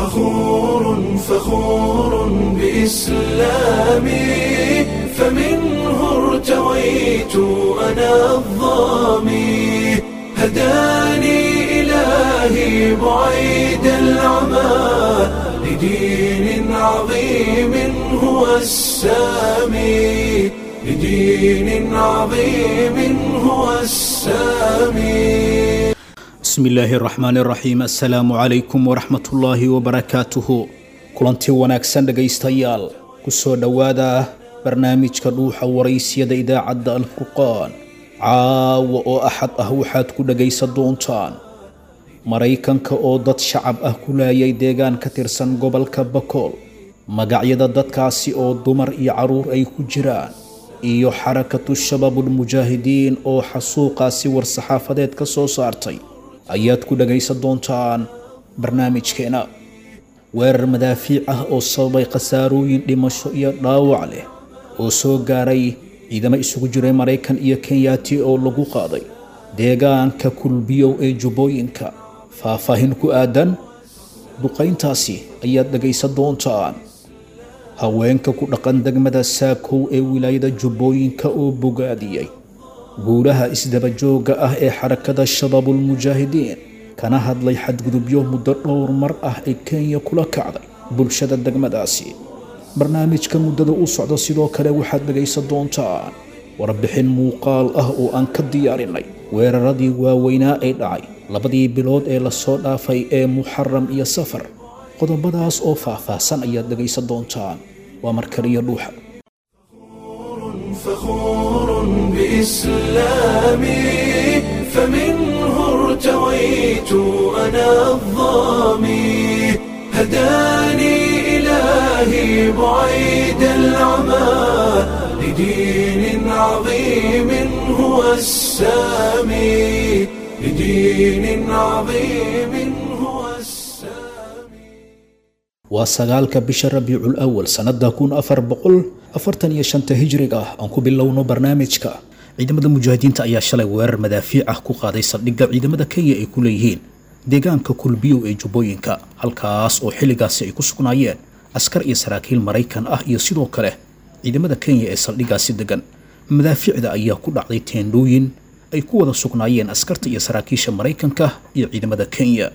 فخور فخور بإسلامي، فمنه ارتويت أنا الظامي، هداني إلهي بعيد العمى لدين عظيم هو السامي، لدين عظيم هو السامي. Bismi illaahi araxmaan iraxiim. Assalaamu calaykum waraxmatullaahi wabarakaatuhu. Kulanti wanaagsan dhegaystayaal, kusoo dhowaada barnaamijka Dhuuxa Waraysiyada idaacadda Alfurqaan. Caawa oo Axad ah waxaad ku dhegaysan doontaan Maraykanka oo dad shacab ah ku laayay deegaan ka tirsan gobolka Bakool, magacyada dadkaasi oo dumar iyo caruur ay ku jiraan, iyo Xarakatu Shabaabulmujaahidiin oo xasuuqaasi war-saxaafadeed ka soo saartay ayaad ku dhagaysan doontaan barnaamijkeena. Weerar madaafiic ah oo sababay khasaarooyin dhimasho iyo dhaawac leh oo soo gaaray ciidamo isugu jiray Maraykan iyo Kenyaati oo lagu qaaday deegaanka Kulbiyow ee Jubbooyinka, faahfaahin ku aadan duqayntaasi ayaad dhagaysan doontaan. Haweenka ku dhaqan degmada Saakow ee wilaayada Jubbooyinka oo bogaadiyey guulaha isdabajooga ah ee Xarakada Shabaabulmujaahidiin, kana hadlay xadgudubyo muddo dhowr mar ah ee Kenya kula kacday bulshada degmadaasi. Barnaamijka muddada u socda sidoo kale waxaad dhegaysan doontaan warbixin muuqaal ah oo aan ka diyaarinay weeraradii waaweynaa ee dhacay labadii bilood ee lasoo dhaafay ee Muxaram iyo Safar. Qodobadaas oo faahfaahsan ayaad dhegaysan doontaan. Waa markaliyo Dhuuxa. فخور بإسلامي، فمنه ارتويت أنا الظامي، هداني إلهي بعيد العمى لدين عظيم هو السامي، لدين عظيم هو السامي. Waa 9-ka bisha Rabiicul Awal sannada 1445-ta hijriga ah. Aan ku bilowno barnaamijka. Ciidamada mujaahidiinta ayaa shalay weerar madaafiic ah ku qaaday saldhigga ciidamada Kenya ay ku leeyihiin deegaanka Kulbiyow ee Jubbooyinka, halkaas oo xilligaasi ay ku sugnaayeen askar iyo saraakiil Maraykan ah iyo sidoo kale ciidamada Kenya ee saldhiggaasi degan. Madaafiicda ayaa ku dhacday teendhooyin ay ku wada sugnaayeen askarta iyo saraakiisha Maraykanka iyo ciidamada Kenya.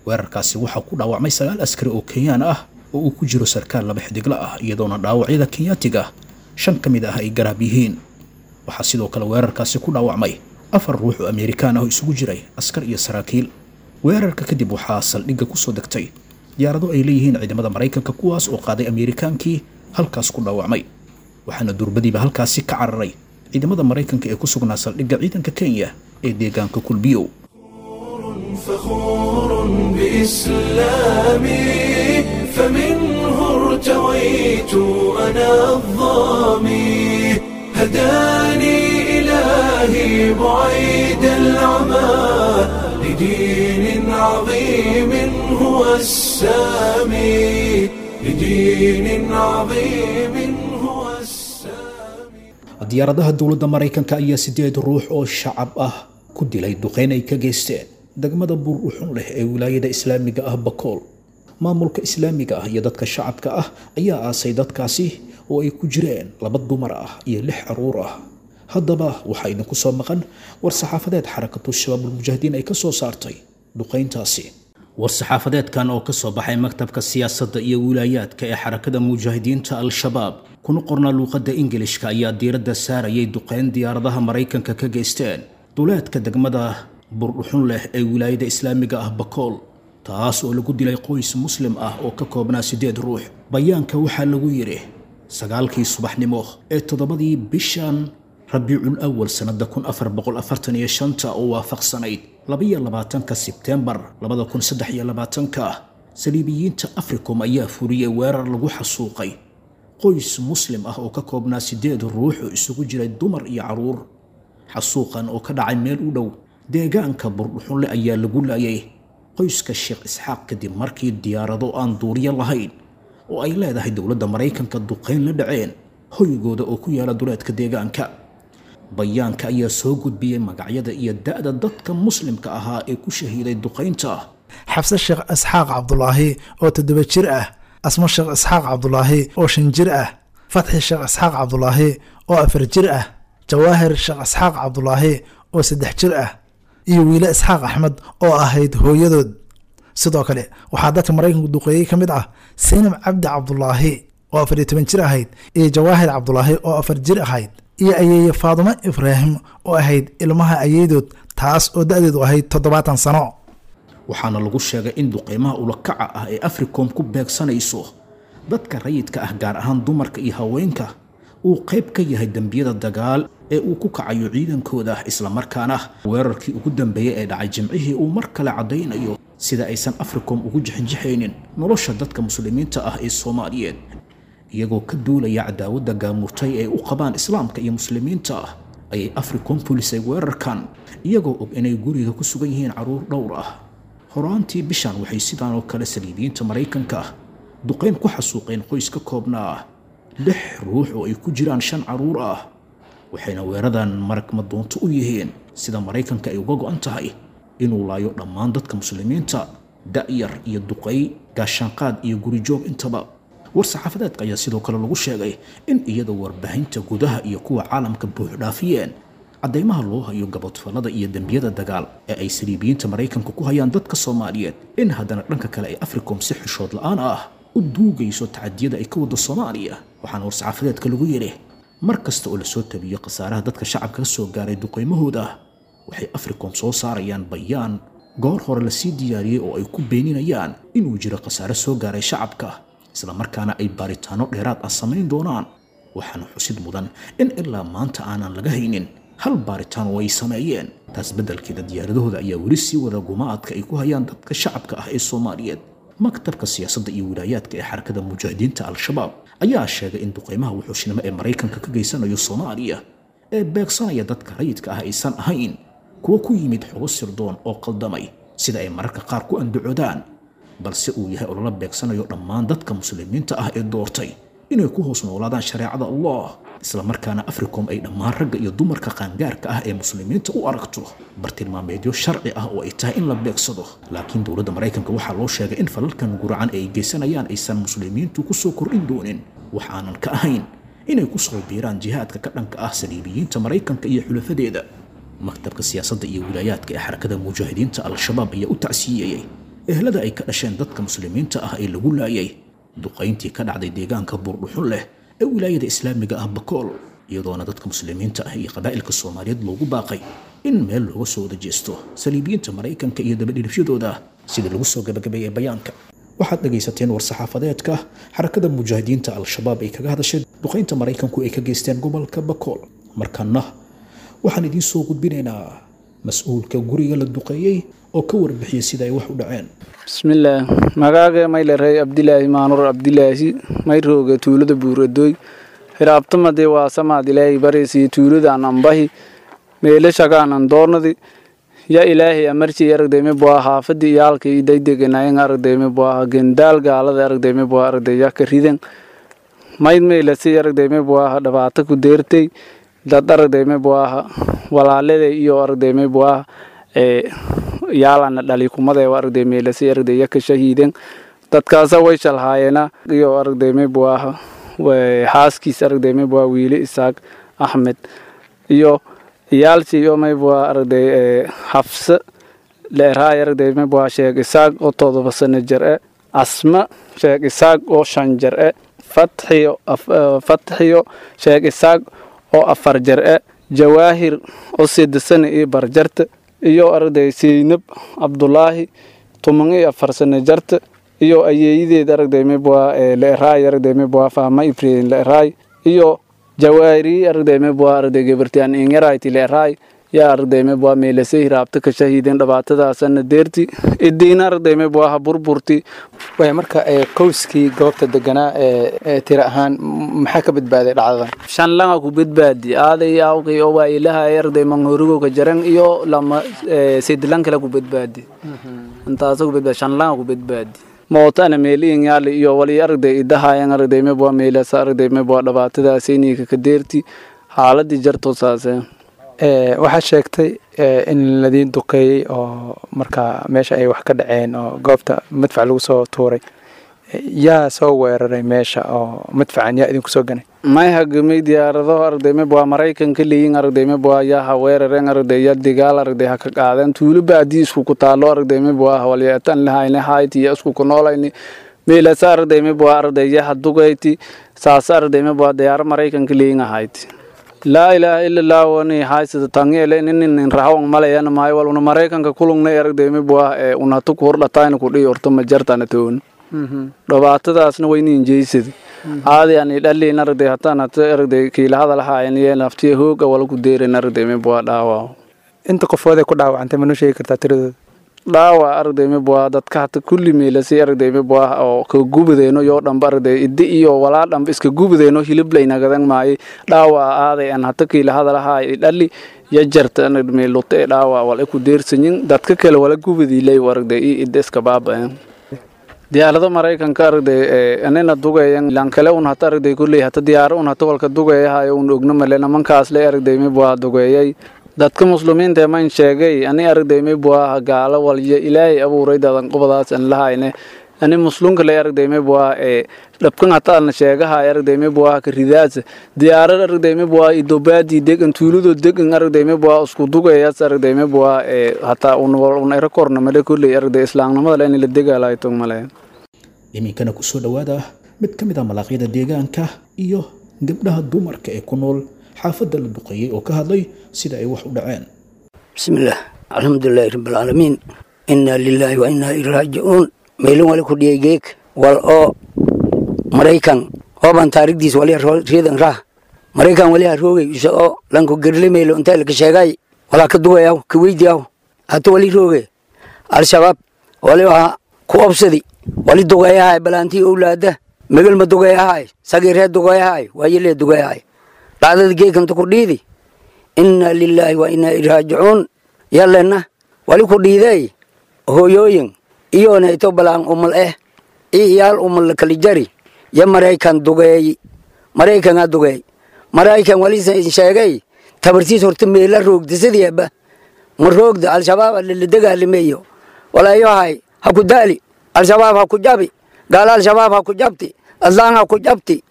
Weerarkaasi waxaa ku dhaawacmay 9 askari oo Kenyaan ah oo uu ku jiro sarkaal laba xidigla ah, iyadoona dhaawacyada Kenyaatiga 5 ka mid ah ay garaab yihiin. Waxaa sidoo kale weerarkaasi ku dhaawacmay 4 ruux oo Amerikaan ah oo isugu jiray askar iyo saraakiil. Weerarka kadib waxaa saldhigga kusoo degtay diyaarado ay leeyihiin ciidamada Maraykanka, kuwaas oo qaaday Amerikaankii halkaas ku dhaawacmay, waxaana durbadiiba halkaasi ka cararay ciidamada Maraykanka ee ku sugnaa saldhigga ciidanka Kenya ee deegaanka Kulbiyow. فخور بإسلامي، فمنه ارتويت أنا الظامي، هداني إلهي بعيد العمى لدين عظيم هو السامي، لدين عظيم هو السامي. Diyaaradaha dowladda Maraykanka ayaa 8 ruux oo shacab ah ku dilay duqeyn ay ka geysteen degmada Buur Uxun leh ee wilaayada islaamiga ah Bakool. Maamulka islaamiga ah iyo dadka shacabka ah ayaa aasay dadkaasi oo ay ku jireen 2 dumar ah iyo 6 caruur ah. Haddaba waxaa idinku soo maqan war-saxaafadeed Xarakatu Shabaabulmujaahidiin ay ka soo saartay duqeyntaasi. War-saxaafadeedkan oo ka soo baxay maktabka siyaasadda iyo wilaayaadka ee Xarakada Mujaahidiinta Al-Shabaab, kuna qornaa luuqadda Ingilishka, ayaa diiradda saarayay duqeyn diyaaradaha Maraykanka ka geysteen duleedka degmada Burdhuxun leh ee wilaayada islaamiga ah Bakool, taas oo lagu dilay qoys muslim ah oo ka koobnaa 8 ruux. Bayaanka waxaa lagu yidhi: 9-kii subaxnimo ee 7-dii bishan Rabiicul Awal sannada 1445-ta oo waafaqsanayd 22-ka Sebteembar 2023-ka, saliibiyiinta Africom ayaa furiyey weerar lagu xasuuqay qoys muslim ah oo ka koobnaa 8 ruux oo isugu jiray dumar iyo caruur. Xasuuqan oo ka dhacay meel u dhow deegaanka Burdhuxunle ayaa lagu laayay qoyska Sheekh Isxaaq kadib markii diyaarado aan duuriyo lahayn oo ay leedahay dowladda Maraykanka duqeyn la dhaceen hoygooda oo ku yaala duleedka deegaanka. Bayaanka ayaa soo gudbiyey magacyada iyo da'da dadka muslimka ahaa ee ku shahiiday duqaynta Xabse Sheekh Isxaaq Cabdulaahi oo 7 jir ah, Asmo Sheekh Isxaaq Cabdulaahi oo 5 jir ah, Fatxi Sheekh Isxaaq Cabdulaahi oo 4 jir ah, Jawaahir Sheekh Isxaaq Cabdulaahi oo 3 jir ah, iyo Wiile Isxaaq Axmed oo ahayd hooyadood. Sidoo kale waxaa dadka Maraykanku duqeeyey ka mid ah Saynab Cabdi Cabdulaahi oo 14 jir ahayd, iyo Jawaahir Cabdulaahi oo 4 jir ahayd, iyo ayeeye Faadumo Ibraahim oo ahayd ilmaha ayeedood, taas oo da-deedu ahayd 70 sano. Waxaana lagu sheegay in duqeymaha ulakaca ah ee Africom ku beegsanayso dadka rayidka ah, gaar ahaan dumarka iyo haweenka, uu qayb ka yahay dembiyada dagaal ee uu ku kacayo ciidankooda, islamarkaana weerarkii ugu dambeeyey ee dhacay Jimcihii uu mar kale caddaynayo sida aysan Africom ugu jixinjixaynin nolosha dadka muslimiinta ah ee Soomaaliyeed. Iyagoo ka duulaya cadaawadda gaamurtay ee u qabaan islaamka iyo muslimiinta ah ayay Africom fulisay weerarkan, iyagoo og inay guriga ku sugan yihiin carruur dhowr ah. Horaantii bishan waxay sidaan oo kale saliibiyiinta Maraykanka duqayn ku xasuuqeen qoys ka koobnaa 6 ruux oo ay ku jiraan 5 carruur ah, waxayna weeradan marag madoonto u yihiin sida Maraykanka ay uga go'an tahay inuu laayo dhammaan dadka muslimiinta, da'yar iyo duqay, gaashaanqaad iyo gurijoog intaba. War-saxaafadeedka ayaa sidoo kale lagu sheegay in iyadoo warbaahinta gudaha iyo kuwa caalamka buuxdhaafiyeen caddaymaha loo hayo gabodfallada iyo dembiyada dagaal ee ay saliibiyiinta Maraykanka ku hayaan dadka Soomaaliyeed, in haddana dhanka kale ay Africom si xishood la'aan ah u duugayso tacadiyada ay ka wado Soomaaliya. Waxaana war-saxaafadeedka lagu yidhi, mar kasta oo lasoo tabiyo khasaaraha dadka shacabka ka soo gaaray duqaymahooda, waxay Africom soo saarayaan bayaan goor hore lasii diyaariyey oo ay ku beeninayaan inuu jiro khasaare soo gaaray shacabka, islamarkaana ay baaritaano dheeraad ah samayn doonaan. Waxaana xusid mudan in ilaa maanta aanan laga haynin hal baaritaan oo ay sameeyeen. Taas beddelkeeda diyaaradahooda ayaa weli sii wada gumaadka ay ku hayaan dadka shacabka ah ee Soomaaliyeed. Maktabka siyaasadda iyo wilaayaadka ee Xarakada Mujaahidiinta Al-Shabaab ayaa sheegay in duqeymaha wuxuushnimo ee Maraykanka ka geysanayo Soomaaliya ee beegsanaya dadka rayidka ah aysan ahayn kuwo ku yimid xogo sirdoon oo qaldamay sida ay mararka qaar ku andacoodaan, balse uu yahay olala beegsanayo dhammaan dadka muslimiinta ah ee doortay inay ku hoos noolaadaan shareecada Allah, islamarkaana Africom ay dhammaan ragga iyo dumarka qaangaarka ah ee muslimiinta u aragto bartilmaameedyo sharci ah oo ay tahay in la beegsado. Laakiin dowladda Maraykanka waxaa loo sheegay in falalkan guracan ay geysanayaan aysan muslimiintu ku soo kordhin doonin wax aanan ka ahayn inay ku soo biiraan jihaadka ka dhanka ah saliibiyiinta Maraykanka iyo xulafadeeda. Maktabka siyaasadda iyo wilaayaadka ee Xarakada Mujaahidiinta Al-Shabaab ayaa u tacsiyeeyey ehlada ay ka dhasheen dadka muslimiinta ah ee lagu laayay duqayntii ka dhacday deegaanka Buurdhuxun leh ee wilaayada islaamiga ah Bakool, iyadoona dadka muslimiinta ah iyo qabaa'ilka Soomaaliyeed loogu baaqay in meel looga soo wada jeesto saliibiyiinta Maraykanka iyo dabadhilifyadooda, sida lagu soo gabagabeeyey bayaanka. Waxaad dhegaysateen war-saxaafadeedka Xarakada Mujaahidiinta Al-Shabaab ay kaga hadashay duqaynta Maraykanku ay ka geysteen gobolka Bakool. Markana waxaan idiin soo gudbinaynaa mas-uulka guriga la duqeeyey oo ka warbixiyey sida ay wax u dhaceen. Bismillaah, magaaga maylarey Abdilaahi Maanur Abdilaahi, mayrooga tuulada Buuradooy. Hiraabtamade waa samaad Ilaahay baraysiyo tuuladaan ambahi meelashagaanan doornadi ya Ilaahay amartii aragdayme bua xaafadii iyaalka iyo daydeganayan aragdayme bua gendaal gaalada aragdayme bua aragday ya ka ridan mayd meelasi aragdayme bua dhibaato ku deertay dad aragdayme bua walaalada iyo aragdayme bua ee yaalana dhali kumada aragday meelasi aragday ya ka shahiiden dadkaasa way shalhaayeena iyo aragdayme bua xaaskiis aragdayme bua Wiile Isaaq Axmed iyo iyaalsii iyo maybua aragday Xafse leeraay aragday maybua Sheekh Isaaq oo 7 sano jir eh, Asma Sheekh Isaaq oo 5 jir eh, Fatxiyo Sheekh Isaaq oo 4 jir eh, Jawaahir oo 8 sano iyo barjarta, iyo aragday Seynab Cabdulaahi 14 sano jarta, iyo ayeeyadeed aragday maybua leeraay aragday maybua Fahma Ibrahim leeraay, iyo Jawaari aragday maybua aragday gabartiyaan ingarayti leeraay yaa aragday maybua meelasay raabta ka shahiideen dhibaatadaasana deerti idiina aragday maybua ha burburti. Waaya, marka qowskii goobta deganaa ee tira ahaan maxaa ka badbaaday dhacdadan? 5 langa ku badbaadi, aaday awqi oo waa ilaha aragday manghorigo ka jaran iyo lama sidlan kale ku badbaadi, intaas ku badbaadi, 5 langa ku badbaadi. Mootana meeliin yaali iyo wali aragday idahayan aragday maybua meelasa aragday maybua dhibaatadaas inii ka deerti xaaladii jarto saase. Waxaad sheegtay in ladiin duqeeyey oo markaa meesha ay wax ka dhaceen oo goobta madfac lagu soo tuuray. Yaa soo weeraray meesha oo madfacan yaa idinku soo ganay? May hagamay diyaarado aragday mib waa Maraykanka leeyin aragday mib waa yaa ha weerareen aragday yaa digaal aragday ha ka qaadeen tuulo baadii isku ku taalo aragday mib waa walyeetan lahayne hayti iyo isku ku noolayni meelasa aragday mib waa aragday yaa hadugayti saas aragday mib waa diyaaro Maraykanka leeyin ahayti. Laa ilaaha illa allah wani haysata tangeele nin rahawan malayana maay wal una Maraykanka kulungnay aragday mib waa una tu ku hordhatayna ku dhihi horta ma jartana toon dhibaatadaasna wayna injeysad aadi aan dhaliin aragday hataan hata aragday kiila hadal haayeen iyo naftiya hooga wala ku deerin aragday mib waa dhaawac. Inta qofood ee ku dhaawacantay ma noo sheegi kartaa tiradooda? Dhaawac aragday mib waa dadka hata kulli meelasi aragday mib waa oo ka gubadeeno yoo dhanba aragday iddi iyo walaa dhanba iska gubadeeno hilib laynagadan maayo dhaawac aaday aan hata kiila hadal haay dhali ya jarta meelute dhaawac wala ku deersanyin dadka kale wala gubadiilay aragday iyo idda iska baaba'een diyaarado Maraykanka aragday anina dugayan lan kale un hata aragday kulley hata diyaaro un hata walka dugayahay un ogno male nimankaas le aragday mib waa dugeeyay dadka muslimiinta man sheegay ani aragday mib waa gaalo walyo Ilaahay abuuray dadan qobadaas aan lahayne ani muslimka le aragday mib waa dhabkan hata aan sheegaha aragday mib waa ka ridaas diyaarad aragday mib waa idobaadi degan tuulado degan aragday mib waa isku dugayaas aragday mib waa hata un wal un era korna male kulley aragday islaamnimada in la dagaalayo tog male. Iminkana ku soo dhowaada mid ka mid ah malaaqyada deegaanka iyo gabdhaha dumarka ee ku nool xaafadda la duqeeyey oo ka hadlay sida ay wax u dhaceen. Bismillaah, alxamdulilaahi rabbilcaalamiin, inaa lilaahi wa inaa ilaihi raajicuun. Meelin wali ku dhiyay geeg wal oo Maraykan ooban taariikhdiis wali reedan rah Maraykan wali ha roogay isa oo lanku gerle meelo inta la ka sheegay walaa ka dugayaw ka weydiyaw hata wali roogay Al-Shabaab wali waa ku obsadi wali dugayahay balaantii owlaada megal ma dugayahay sagiiree dugayahay waayelee dugayahay dhacdada geekanta ku dhiidi inna lilaahi wa inaa ilaihi raajicuun. Yallena wali ku dhiiday hooyooyin iyoona ito balaan umal iyo iyaal umal kala jari ya Maraykan dugeey Maraykan dugeey Maraykan wali sheegay tabartiis horta meela roogda sidiiba ma roogda Al-Shabaab la dagaalameeyo walaayahay ha ku daali Al-Shabaab ha ku jabi gaal Al-Shabaab ha ku jabti aslaan ha ku jabti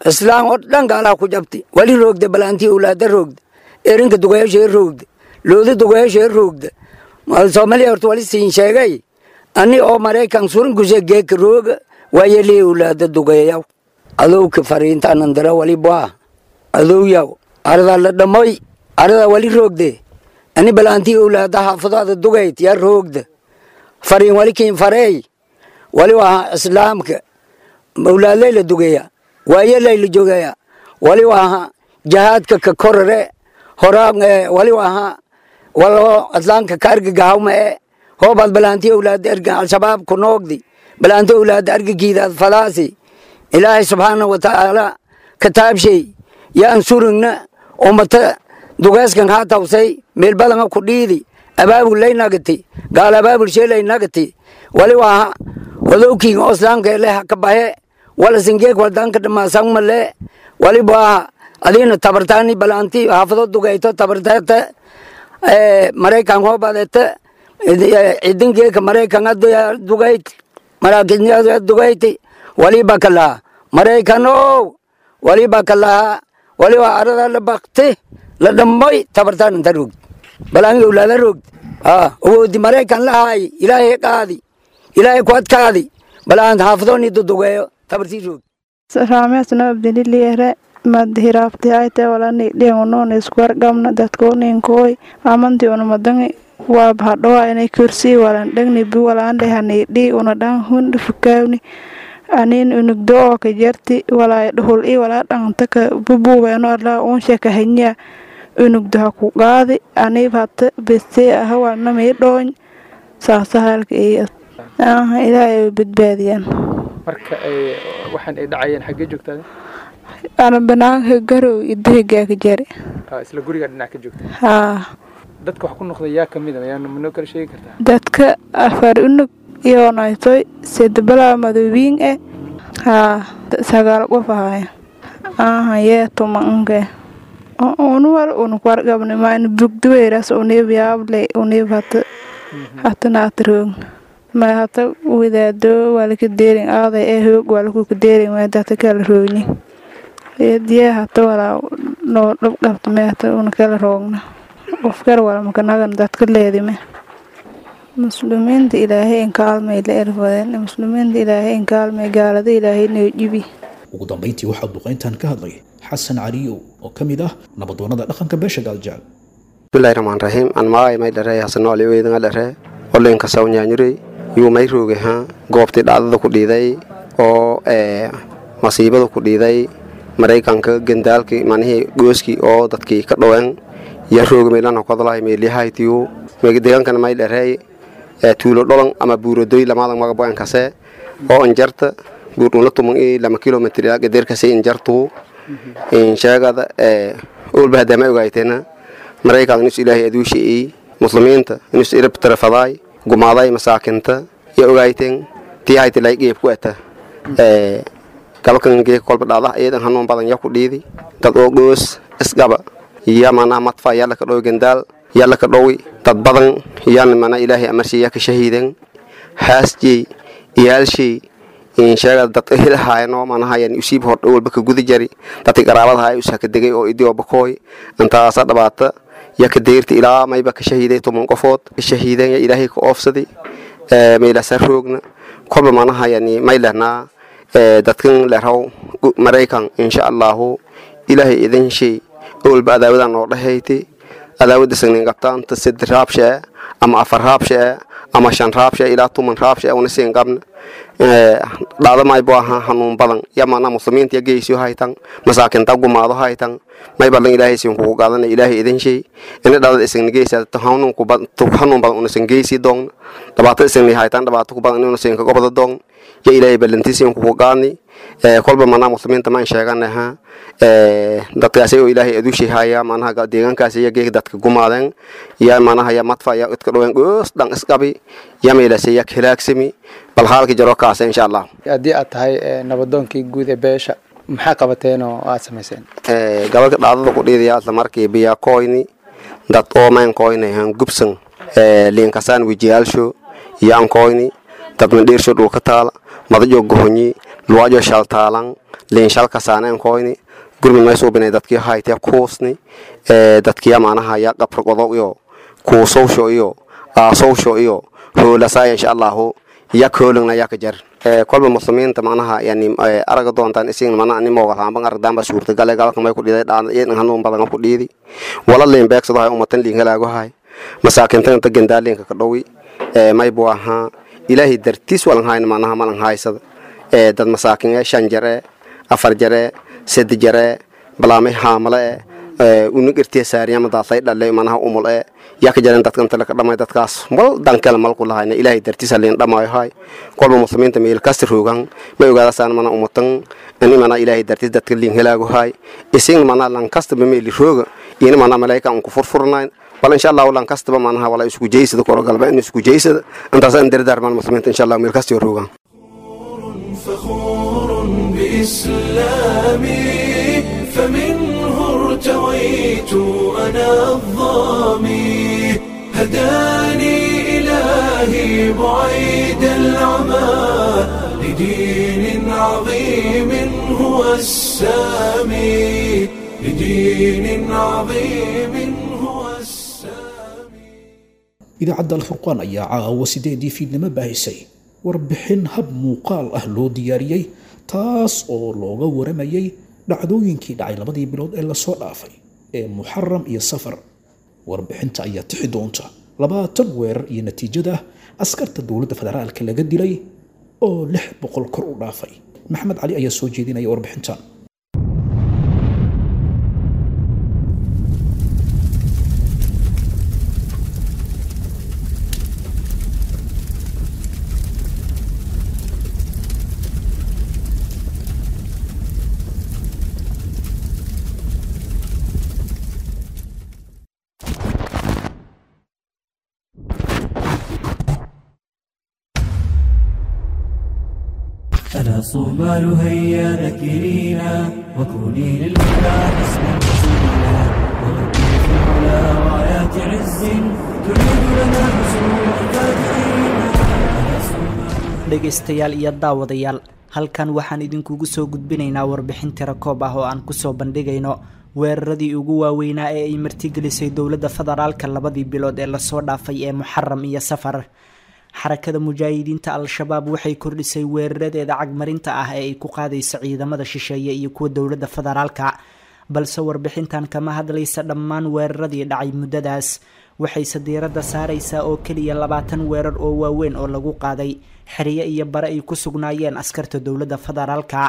islaan oo dhan gaal ha ku jabti wali roogda balaantii owlaada roogda erinka dugeeyasha roogda looda dugeeyasha roogda Soomaaliya horta wali siin sheegay ani oo Maraykan suran gushe geek rooga waayelii owlaada dugeeyaw adowka fariinta andara wali baa adowyaw arada la dhamoy arada wali roogde ani balaantii owlaada xaafadaada dugeyd yaa roogda fariin wali kiin fareey wali waa islaamka owlaadley la dugeeya waayeley la joogaya wali waa jahaadka ka korare horaa wali waa walo islaamka ka argagahawma ee hoobaad balaantii owlaada erga Al-Shabaab ku noogdi balaantii owlaada argagiidaad falaasi Ilaahay subxaana wa tacaala kitaabshay yaan surugna ummata dugeeskan haa tawsay meel badan ku dhiidi abaabul lay nagati gaal abaabul sheelay nagati wali waa wadowkiin oo islaamka leh ka bahe wala singeek wadanka dhamaasan male wali baa adiina tabartaani balaanti xaafado dugayto tabartaata Maraykan hoobadeeta ciidankeeka Maraykan dugayt maraakiisna dugayti waliba kala Maraykano waliba kala waliba arada la baqti la dhamoy tabartaan inta roog balaan owlaada roog awoodi Maraykan lahay Ilaahay qaadi Ilaahay ku adkaadi balaan xaafadooni dudugeeyo tabartii roog. Raamesna abdililiyere madhiraabti ayte walani dhiyangonoon isku wargamna dadkooninkooy amanti una madangi waa bahadhowa inay kursi walan dhagni bi walaan dhehani dhi una dhan hundhi fukaawni anin unugdo oo ka jarti walaa dhuhul i walaa dhanta ka bubuweeno allaa uun sheeka hanya unugdo ha ku qaadi aniib hata beste aha walna mii dhooñ saasa halka iyo Ilaahay badbaadiyaan. Marka ay waxaan ay dhacayeen xaggee joogtaa? Ana banaanka garow idahigaa ka jari. Isla guriga dhinac ka joogta? Haa. Dadka wax ku noqday yaa kamid ah yaa manoo kala sheegi kartaa? Dadka 4 unug iyo naytoy sedbalaa madoobiin haa 9 qof ahaya yee 10 unge Unu wal unu ku warqabna mayna bugduweeras uniib yaable uniib hata hatana atroog ma hata wadaado walka deerin aaday ee hoog walku ku deerin waa kala roogni eediye hata walaa noo dhab qabta meeta una kala roogna qof kale wala makanagan dadka leedime muslimiinta ilaahay in kaalmay la erfadeen muslimiinta ilaahay in kaalmay gaalada ilaahay noo jibi. Ugu dambeyntii waxaa duqeyntan ka hadlay Xasan Caliyow oo ka mid ah nabadoonnada dhaqanka beesha Gaaljecel. Bismillahi rahmaan rahiim. Aan magacay may dharey Xasan Ali weydanga dharey olenka sawnyaanyurey yuu may roogay ha goobtii dhacdada ku dhiiday oo masiibada ku dhiiday Maraykanka gandaalkii manihii gooskii oo dadkii ka dhoween ya rooga meelana ku hadlahay meelihaytiyu deegaankana may dharey tuulo dholan ama buuradoy lamadan magaboan kase oo injarta buurdhunla 12 kilomitr ilaa gadeerkase injartu insheegada olba hadama ogaayteena Maraykan inus ilaahay aduushi'ey muslimiinta inus irab tarafaday gumaaday masaakinta iyo ogaayteen tii hayti lay qeyb ku ata galkan gee kolba dhacda iyadan hanuun badan ya ku dhiidi dad oo goos isqaba iyo manaa madfa yalla ka dhowi gandaal yalla ka dhowi dad badan yaan mana ilaahay amarsiiya ka shahiiden haasjey iyaalshay inshaga dad helhaayno manaha yan usiib hor walba ka gudi jari dadka qaraabada hay usa ka degay oo idii oo bakooy intaasa dhabaata ya ka deerti ilaa mayba ka shahiiday 10 qofood shahiideen ya ilaahay ka oofsaday meela saroogna kolba manaha yani may lehnaa dadkan leeraw Maraykan insha Allah ilaahay idin shay walba adaawadan oo dhahayti adaawada sagnin qabtaan ta 3 raabsha ama 4 raabsha ama 5 raabsha ilaa 10 raabsha una siin qabna dhacdo may buu ahaa hanuun badan ya maana muslimiinta geysiyo haytan masaakinta gumaado haytan may badan ilaahay siin kugu qaadan ilaahay idin shay in dhacdo isin geysa hanuun ku badan hanuun badan una siin geysi doon dhibaato isin haytan dhibaato ku badan una siin ka gobada doon ya ilaahay balantiisiin kugu qaadni kolba maana muslimiinta ma sheeganaha dadkaasi oo ilaahay aduushi haya maanaha deegaankaasi iyo geeg dadka gumaadeen ya maanaha ya madfa ya idka dhoween goos dhan isqabi ya meelasi ya hilaagsami bal halka jaro kaas insha Allah. Haddii aad tahay nabadoonkii guud ee beesha maxaa qabateen oo aad samayseen? Gobolka dhacdada ku dhiidaya isla markii biya koyni dad oo mayn koyni han gubsan liinkasaan wajiyaalsho yaan koyni dad mandheersho dhulka taala madajo gohonyi luwajo shaltaalan liin shalka saaneen koyni gurmi may suubinay dadkii haytee kuusni dadkii maanaha ya qabrqodo iyo kuusowsho iyo aasowsho iyo hoolasaa insha Allahu ya koolingna ya ka jar kolba muslimiinta maanaha yani araga doontaan isin mana animo waxaan aragdaan ba suurtagal galka may ku dhiiday dhaan in hanuun badan ku dhiidi wala liin beegsado hay ummatan liin halaago hay masaakinta inta gandaalinka ka dhowi may buu ahaa ilaahay dartiis walan hayn maanaha malan haysada dad masaakin ee 5 jare 4 jare 3 jare balaamay haamale unug irtiya saariyama daasay dhalay manaha umul yaa ka jaran dadkan tala ka dhamay dadkaas wal dan kale mal ku lahayna ilaahay dartiis liin dhamaayo hay kolba muslimiinta meel kasta roogan may ogaadasaan mana ummatan in mana ilaahay dartiis dadka liin helaago hay isin mana lan kasta meel rooga in mana malaa'ika ku furfurnayn bal insha Allah lan kastaba manaha wala isku jeysada koro galba in isku jeysada intaas aan dardaarmaan muslimiinta insha Allah meel kasta roogan. فخور بإسلامي فمنه ارتويت أنا الظامي هداني إلهي بعيد العمى لدين عظيم هو السامي لدين عظيم هو السامي. Idaacadda Alfurqaan ayaa caawa 8dii fiidnimo baahisay warbixin hab muuqaal ah loo diyaariyey taas oo looga waramayay dhacdooyinkii dhacay labadii bilood ee lasoo dhaafay ee Muxaram iyo Safar. Warbixinta ayaa tixi doonta 20 weerar iyo natiijada askarta dowladda federaalka laga dilay oo 600 kor u dhaafay. Maxamed Cali ayaa soo jeedinaya warbixintan. أنا صومال هيا ذكرينا وكوني للهدى حسنا وسيلا. وغدي في العلا رايات عز تعيد لنا عصور الفاتحين. Dhegaystayaal iyo daawadayaal, halkan waxaan idinkugu soo gudbinaynaa warbixin tirakoob ah oo aan kusoo bandhigayno weeraradii ugu waaweynaa ee ay martigelisay dowladda federaalka labadii bilood ee lasoo dhaafay ee Muxaram iyo Safar. Xarakada Mujaahidiinta Al-Shabaab waxay kordhisay weeraradeeda cagmarinta ah ee ay ku qaadayso ciidamada shisheeye iyo kuwa dowladda federaalka, balse warbixintan kama hadlaysa dhammaan weeraradii dhacay muddadaas, waxayse diiradda saaraysaa oo keliya 20 weerar oo waaweyn oo lagu qaaday xeryo iyo bare ay ku sugnaayeen askarta dowladda federaalka.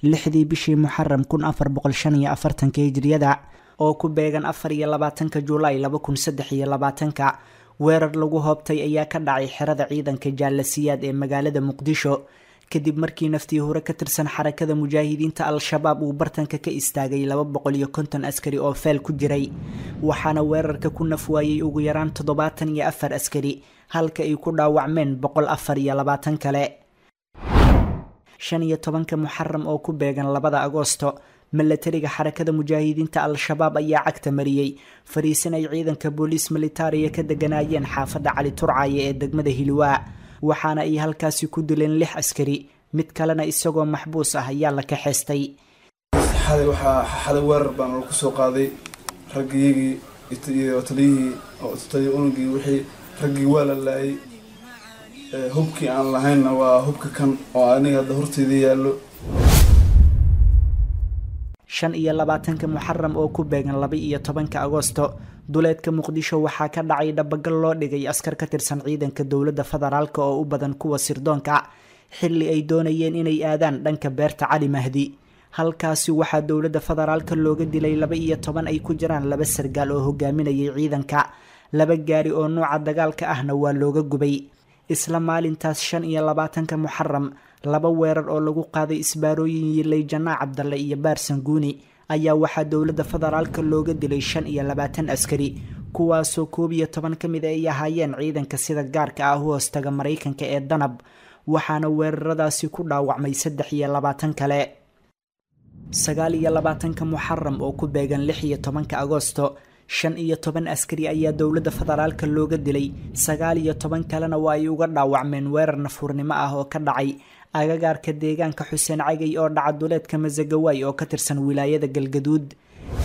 6dii bishii Muxaram 1445-ka Hijriyada oo ku beegan 24-ka Julaay 2023-ka, weerar lagu hoobtay ayaa ka dhacay xerada ciidanka Jaalasiyaad ee magaalada Muqdisho, kadib markii naftii hore ka tirsan Xarakada Mujaahidiinta Al-Shabaab uu bartanka ka istaagay 250 askari oo feel ku jiray, waxaana weerarka ku nafwaayey ugu yaraan 74 askari, halka ay ku dhaawacmeen 124 kale. 15-ka Muxaram oo ku beegan 2da Agoosto, milatariga Xarakada Mujaahidiinta Al-Shabaab ayaa cagta mariyey fariisin ay ciidanka booliis militariya ka deganaayeen xaafadda Cali Turcaye ee degmada Hilwaa, waxaana ay halkaasi ku dileen 6 askari, mid kalena isagoo maxbuus ah ayaa la kaxeystay. Xalay waxaa xalay weerar baan lagu soo qaaday raggiyagii iyo taliyihii oo taliya unugii, wixii raggii waa la laayay. Hubkii aan lahaynna waa hubka kan oo aniga hadda horteyda yaallo. 25-ka Muxaram oo ku beegan 12-ka Agoosto, duleedka Muqdisho waxaa ka dhacay dhabagal loo dhigay askar ka tirsan ciidanka dowladda federaalka oo u badan kuwa sirdoonka, xilli ay doonayeen inay aadaan dhanka beerta Cali Mahdi. Halkaasi waxaa dowladda federaalka looga dilay 12 ay ku jiraan 2 sargaal oo hogaaminayay ciidanka, 2 gaari oo nooca dagaalka ahna waa looga gubay. Isla maalintaas 25-ka Muxaram, 2 weerar oo lagu qaaday isbaarooyin yilay Janaa Cabdalle iyo Baarsanguuni ayaa waxaa dowladda federaalka looga dilay 25 askari, kuwaasoo 11 ka mid ay ahaayeen ciidanka sida gaarka ah u hoostaga Maraykanka ee Danab, waxaana weeraradaasi ku dhaawacmay 23 kale. 29-ka Muxaram oo ku beegan 16-ka Agoosto, 15 askari ayaa dowladda federaalka looga dilay, 19 kalena waa ay uga dhaawacmeen weerar nafuurnimo ah oo ka dhacay agagaarka deegaanka Xuseen Cagay oo dhaca duleedka Masagawaay oo ka tirsan wilaayada Galgaduud.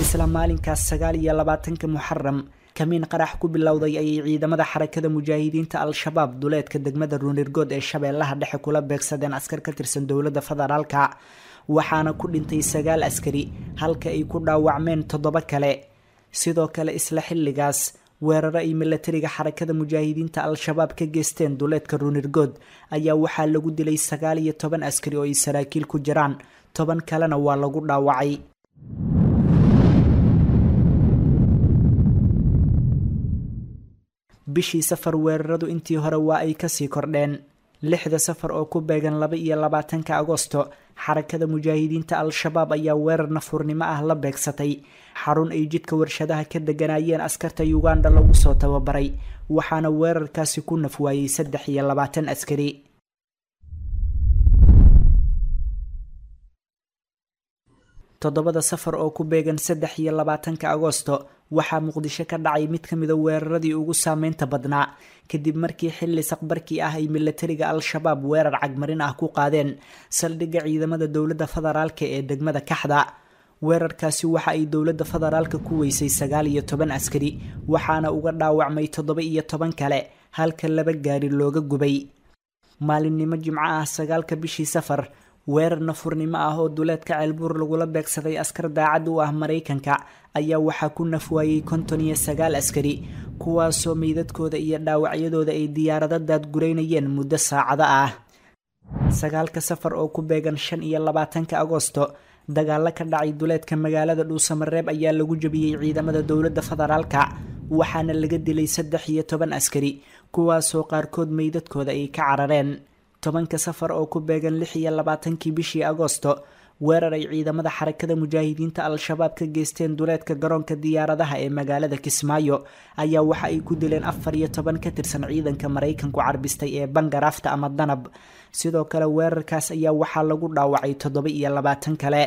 Isla maalinkaas 29-ka Muxaram, kamiin qarax ku bilowday ayay ciidamada Xarakada Mujaahidiinta Al-Shabaab duleedka degmada Ruunirgood ee Shabeellaha Dhexe kula beegsadeen askar ka tirsan dowladda federaalka, waxaana ku dhintay 9 askari halka ay ku dhaawacmeen 7 kale. Sidoo kale isla xilligaas, weeraro ay milatariga Xarakada Mujaahidiinta Al-Shabaab ka geysteen duleedka Ruunirgood ayaa waxaa lagu dilay 19 askari oo ay saraakiil ku jiraan, 10 kalena waa lagu dhaawacay. Bishii Safar weeraradu intii hore waa ay kasii kordheen. 6da Safar oo ku beegan 22-ka Agoosto, Xarakada Mujaahidiinta Al-Shabaab ayaa weerar nafuurnimo ah la beegsatay xarun ay jidka warshadaha ka deganaayeen askarta Uganda lagu soo tababaray, waxaana weerarkaasi ku nafwaayey 23 askari. 7da Safar oo ku beegan 23-ka Agoosto, waxaa Muqdisho ka dhacay mid ka mida weeraradii ugu saameynta badnaa, kadib markii xilli saqbarkii ah ay milatariga Al-Shabaab weerar cagmarin ah ku qaadeen saldhigga ciidamada dowladda federaalka ee degmada Kaxda. Weerarkaasi waxa ay dowladda federaalka ku weysay 19 askari, waxaana uga dhaawacmay 17 kale, halka 2 gaari looga gubay. Maalinnimo Jimco ah 9-ka bishii Safar, weerar nafurnimo ah oo duleedka Ceelbuur lagula beegsaday askar daacad u ah Maraykanka ayaa waxaa ku nafwaayey 59 askari, kuwaasoo meydadkooda iyo dhaawacyadooda ay diyaarado daadguraynayeen muddo saacado ah. 9-ka Safar oo ku beegan 25-ka Agoosto, dagaalo ka dhacay duleedka magaalada Dhuusamareeb ayaa lagu jabiyey ciidamada dowladda federaalka, waxaana laga dilay 13 askari, kuwaasoo qaarkood meydadkooda ay ka carareen. 10-ka Safar oo ku beegan 26-kii bishii Agoosto, weerar ay ciidamada Xarakada Mujaahidiinta Al-Shabaab ka geysteen duleedka garoonka diyaaradaha ee magaalada Kismaayo ayaa waxa ay ku dileen 14 ka tirsan ciidanka Maraykanku carbistay ee Bangaraafta ama Danab. Sidoo kale weerarkaas ayaa waxaa lagu dhaawacay 27 kale.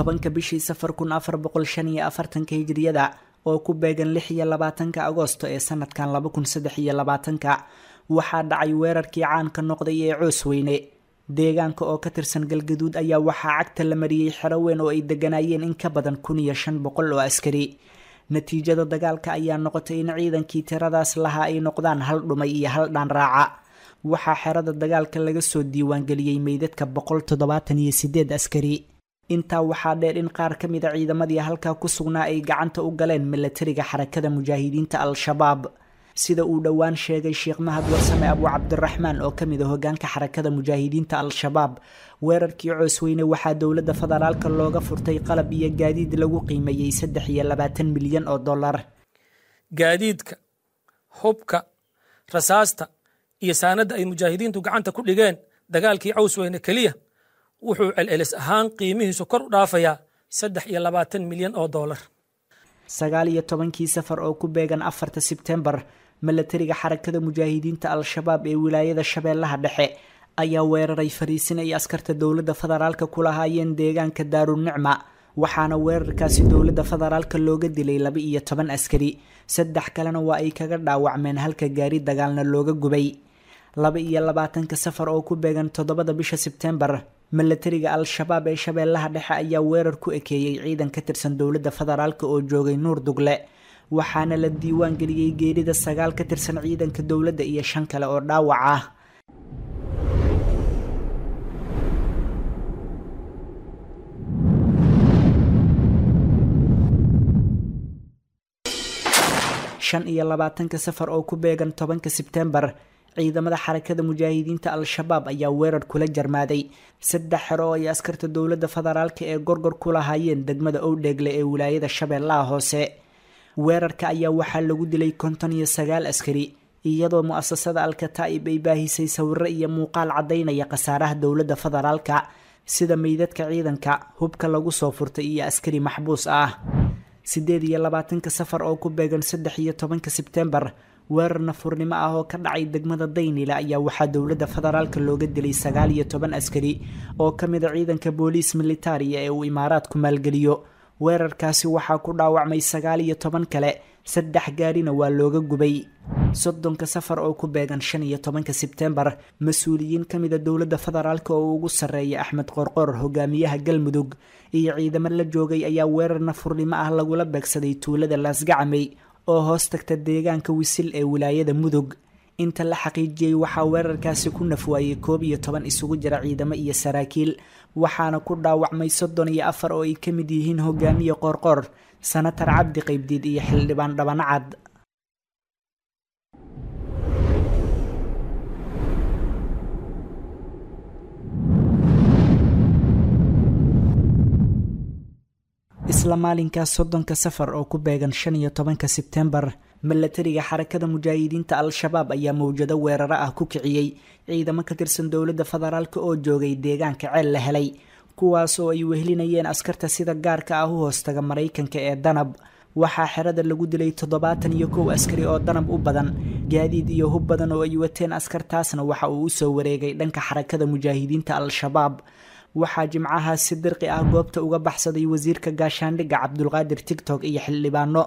10-ka bishii Safar 1445 hijriyada oo ku beegan 26-ka Agoosto ee sanadkan 2023-ka waxaa dhacay weerarkii caanka noqday ee Coosweyne. Deegaanka oo ka tirsan Galgaduud ayaa waxaa cagta la mariyey xero weyn oo ay deganaayeen in ka badan 1500 oo askari. Natiijada dagaalka ayaa noqotay in ciidankii tiradaas lahaa ay noqdaan hal dhumay iyo hal dhaan raaca. Waxaa xerada dagaalka laga soo diiwaangeliyey meydadka 178 askari. Intaa waxaa dheer in qaar ka mid a ciidamadii halkaa ku sugnaa ay gacanta u galeen milatariga Xarakada Mujaahidiinta Al-Shabaab. Sida uu dhowaan sheegay Sheekh Mahad Warsame Abu Cabdiraxmaan oo kamid ah hogaanka Xarakada Mujaahidiinta Al-Shabaab, weerarkii Coosweyne waxaa dowladda federaalka looga furtay qalab iyo gaadiid lagu qiimeeyey 23 milyan oo dollar. Gaadiidka, hubka, rasaasta iyo saanadda ay mujaahidiintu gacanta ku dhigeen dagaalkii Coosweyne keliya wuxuu celcelis ahaan qiimihiisu kor u dhaafayaa 23 milyan oo dollar. 19-kii Safar oo ku beegan 4 Sebtembar, milatariga Xarakada Mujaahidiinta Al-Shabaab ee wilaayada Shabeellaha Dhexe ayaa weeraray fariisin ay askarta dowladda federaalka ku lahaayeen deegaanka Daarunicma, waxaana weerarkaasi dowladda federaalka looga dilay 12 askari, 3 kalena waa ay kaga dhaawacmeen halka gaari dagaalna looga gubay. 22-ka Safar oo ku beegan 7 bisha Sebtembar, milatariga Al-Shabaab ee Shabeellaha Dhexe ayaa weerar ku ekeeyey ciidan ka tirsan dowladda federaalka oo joogay Nuur Dugle, waxaana la diiwaan geliyey geerida 9 ka tirsan ciidanka dowladda iyo 5 kale oo dhaawac ah. Shan iyo labaatanka Safar oo ku beegan 10-ka Sebtembar, ciidamada Xarakada Mujaahidiinta Al-Shabaab ayaa weerar kula jarmaaday 3 xero oo ay askarta dowladda federaalka ee gorgor ku lahaayeen degmada Owdheegle ee wilaayada Shabeellaha Hoose. Weerarka ayaa waxaa lagu dilay 59 askari, iyadoo mu'asasada Al-Kataa'ib ay baahisay sawirro iyo muuqaal caddaynaya khasaaraha dowladda federaalka, sida meydadka ciidanka, hubka lagu soo furtay iyo askari maxbuus ah. 28-ka Safar oo ku beegan 13-ka Sebtembar, weerar nafurnimo ah oo ka dhacay degmada Daynila ayaa waxaa dowladda federaalka looga dilay 19 askari oo ka mid a ciidanka booliis militaariya ee uu Imaaraadku maalgeliyo. Weerarkaasi waxaa ku dhaawacmay 19 kale, 3 gaarina waa looga gubay. 30-ka Safar oo ku beegan 15-ka Sebtembar, mas-uuliyiin ka mid a dowladda federaalka oo ugu sarreeya Axmed Qorqor, hogaamiyaha Galmudug, iyo ciidamo la joogay ayaa weerar nafurnimo ah lagula beegsaday tuulada Laasgacamey oo hoos tagta deegaanka Wisil ee wilaayada Mudug. Inta la xaqiijiyey waxaa weerarkaasi ku nafwaayey 11 isugu jira ciidamo iyo saraakiil, waxaana ku dhaawacmay 34 oo ay ka mid yihiin hogaamiye Qoorqoor, Sanatar Cabdi Qaybdiid iyo xildhibaan Dhabanacad. Isla maalinkaas 30-ka Safar oo ku beegan 15-ka Sebtembar, milatariga Xarakada Mujaahidiinta Al-Shabaab ayaa mawjado weeraro ah ku kiciyey ciidamo ka tirsan dowladda federaalka oo joogay deegaanka Ceel la helay, kuwaas oo ay wehelinayeen askarta sida gaarka ah u hoostaga Maraykanka ee Danab. Waxaa xerada lagu dilay 71 askari oo Danab u badan, gaadiid iyo hub badan oo ay wateen askartaasna waxa uu usoo wareegay dhanka Xarakada Mujaahidiinta Al-Shabaab. Waxaa jimcahaas si dirqi ah goobta uga baxsaday wasiirka gaashaandhigga Cabdulqaadir Tigtok iyo xildhibaano,